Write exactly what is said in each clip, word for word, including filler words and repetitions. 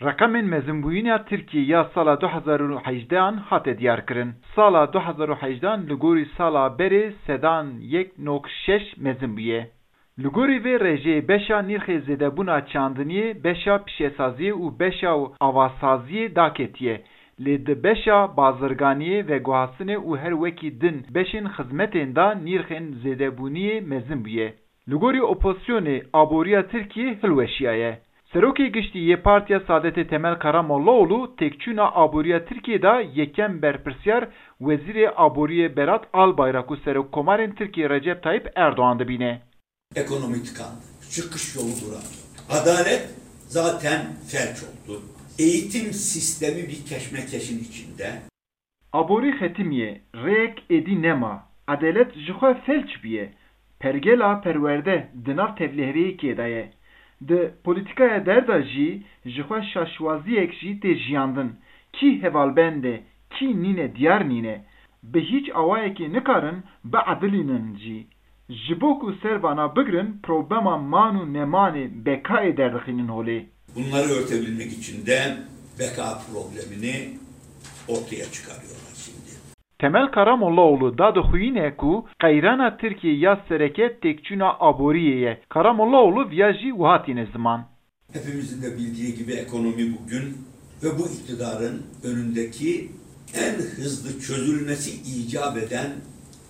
Reqemên mezinbûyîna Tirkiyê ya sala du hezar û hejdehan hate diyarkirin. Sala du hezar û hejdehan li gorî sala berê sedan yek nok şeş mezin bûye. Li gorî vê rejeyê beşa nîrxê zêdebûna çandiniyê, beşa pişesaziyê û beşa avasaziyê daketiye, lê di beşa bazirganiyê, veguhastinê û her wekî din beşên xizmetên de nîrxên zêdebûniyê mezin bûye. Li gorî opozisyonê aboriya Tirkiyê hilweşiyaye. Serokê Giştî yê Partiya Saadetê Temel Karamollaoğlu têkçûna aboriya Tirkiyê de yekem berpirsyar Wezîrê Aboriyê Berat Albayrak û Serokkomarên Tirkiyê Recep Tayyip Erdoğan dibîne. Ekonomi tıkandı. Çıkış yolu duramıyor. Adalet zaten felç oldu. Eğitim sistemi bir keşmekeşin içinde. Aborî xetimiye, rêyek êdî nema. Edalet jixwe felç bûye. Pergela perwerde di nav tevliheveyekê de ye. Di polîtîkaya der de jî jixwe şaşwaziyek jî tê jiyandin. Kî hevalbend e, kî nîne diyar nîne. Bi hîç awayekê nikarin biedilînin jî. Ji bo ku ser vana bigirin, problema man û nemanê bekayê derdixînin holê. Bunları örtebilmek için de beka problemini ortaya çıkarıyorlar şimdi. Temel Karamollaoğlu dadixuyîne ku qeyrana Tirkiyê ya sereke têkçûna aboriyê ye. Karamollaoğlu viya jî wiha tîne ziman. Hepimizin de bildiği gibi ekonomi bugün ve bu iktidarın önündeki en hızlı çözülmesi icap eden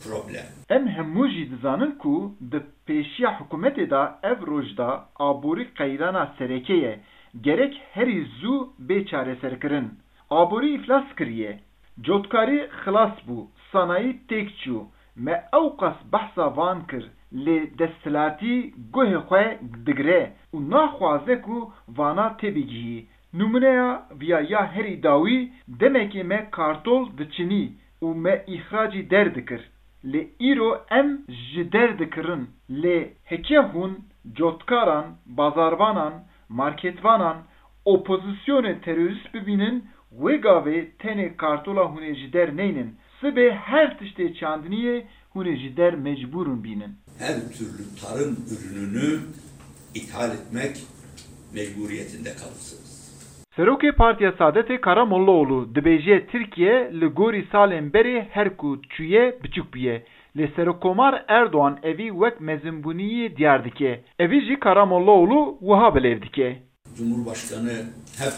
problem. Em hemû jî dizanin ku di pêşiya hikûmetê de ev roj de aborî qeyrana sereke ye, gerek herî zû bê çareserkirin. Aborî îflas kiriye. Cotkarî xilas bû, sanayî têk çû. Me ewqas behsa van kir, lê desthilatî guhê xwe digire û naxwaze ku vana têbigihî. Nimûneya viya ya herî dawî, demekê me kartol diçinî û me îxracî der dikir. Lê îro em ji der dikirin. Lê heke hûn cotkaran, bazarvanan, marketvanan, opozisyonê terorîst bibînin, wê gavê tenê kartola hûn ê ji der neynin. Sibê her tiştê çandiniyê hûn ê ji der mecbûr in bînin. Her türlü tarım ürününü ithal etmek mecburiyetinde kalırsınız. Serokê Partiya Saadetê Karamollaoğlu dibêje Tirkiye li gorî salên berê her ku çûye biçûk bûye. Lê Serokkomar Erdoğan evî wek mezinbûniyê diyar dike. Evî jî Karamollaoğlu wiha bi lêv dike. Cumhurbaşkanı hep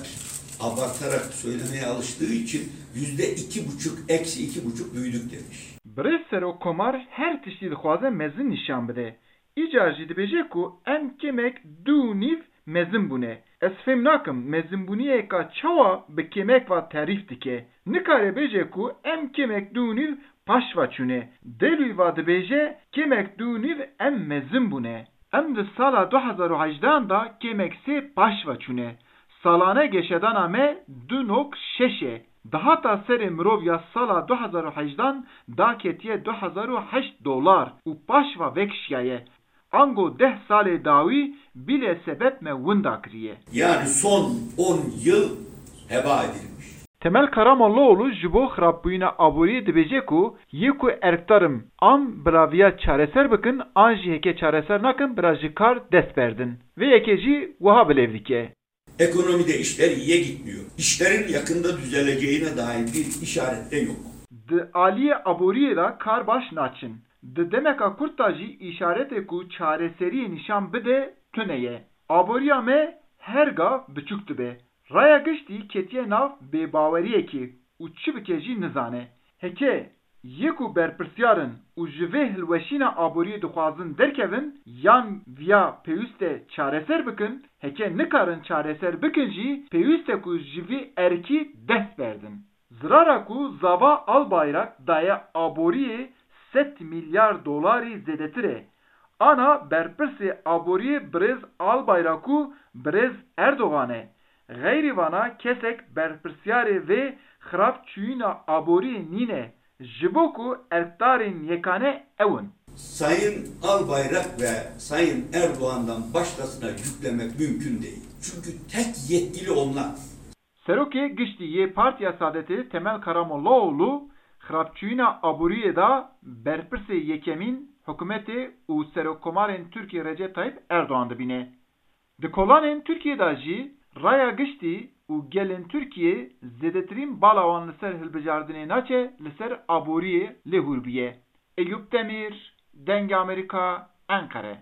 abartarak söylemeye alıştığı için yüzde iki buçuk, eksi iki buçuk büyüdük demiş. Birêz Serokkomar her tiştî dixwaze mezin nîşan bide. Îcar jî dibêje ku em kêmek du û nîv mezin bûne. Ez fêm nakim mezinbûniyeka çawa bi kêmek ve terîf dike. Nikare bêje ku em kêmek du û nîv paş ve çûne. Dêlwî ve dibêje kêmek du û nîv em mezin bûne. Em di sala du hezar û hejdehan de kêmek sê paş ve çûne. Salane geşedana me du nok şeş e. Dahata serê mirov ya sala du hezar û hejdehan daketiye du hezar û heşt dolar û paş ve vekişiyaye. Ango deh salê dawî bîle sebeb me winda kiriye. Yani son on yıl heba edilmiş. Temel Karamollaoğlu ji bo xirabbûyîna aboriyê dibêje ku yê ku erkdar in an bi raviya çareser bikin an jî heke çareser nakin bira ji kar dest berdin. Vê yekê jî wiha bi lêv dike. Ekonomide işler iyiye gitmiyor. İşlerin yakında düzeleceğine dair bir işaret de yok. Di aliyê aboriyê de kar baş naçin. Di demeka kurt de jî îşaretê ku çareseriyê nîşan bide tune ye. Aboriya me her gav biçûk dibe. Raya giştî ketiye nav bêbaweriyekê û çi bike jî nizane. Heke yê ku berpirsyar in û ji vê hilweşîna aboriyê dixwazin derkevin yan viya pêwîst e çareser bikin, heke nikarin çareser bikin jî pêwîst e ku ji vî erkî dest berdin. Zirara ku Zava Albayrak daye aboriyê sed milyar dolarî zêdetir e. Ana berpirsê aboriyê birêz Albayrak û birêz Erdogan e. Xeyrî vana kesek berpirsyarê vê xirab çûyîna aboriyê nîne, ji bo ku erkdarên yekane ew in. Sayın Albayrak ve Sayın Erdoğan'dan başkasına yüklemek mümkün değil. Çünkü tek yetkili onlar. Serokê Giştî yê Partiya Saadetê Temel Karamollaoğlu xirabçûyîna aboriyê de berpirsê yekemîn hikûmetê û Serokkomarên Tirkiyê Recep Tayyip Erdogan dibîne. Di kolanên Tirkiyê de jî Raya giştî û gelên Tirkiyê zêdetirîn bala wan li ser hilbijardinê naçe li ser aboriyê lê hûr bûye. Eyûp Demîr, Dengê Amerîka, Enqere.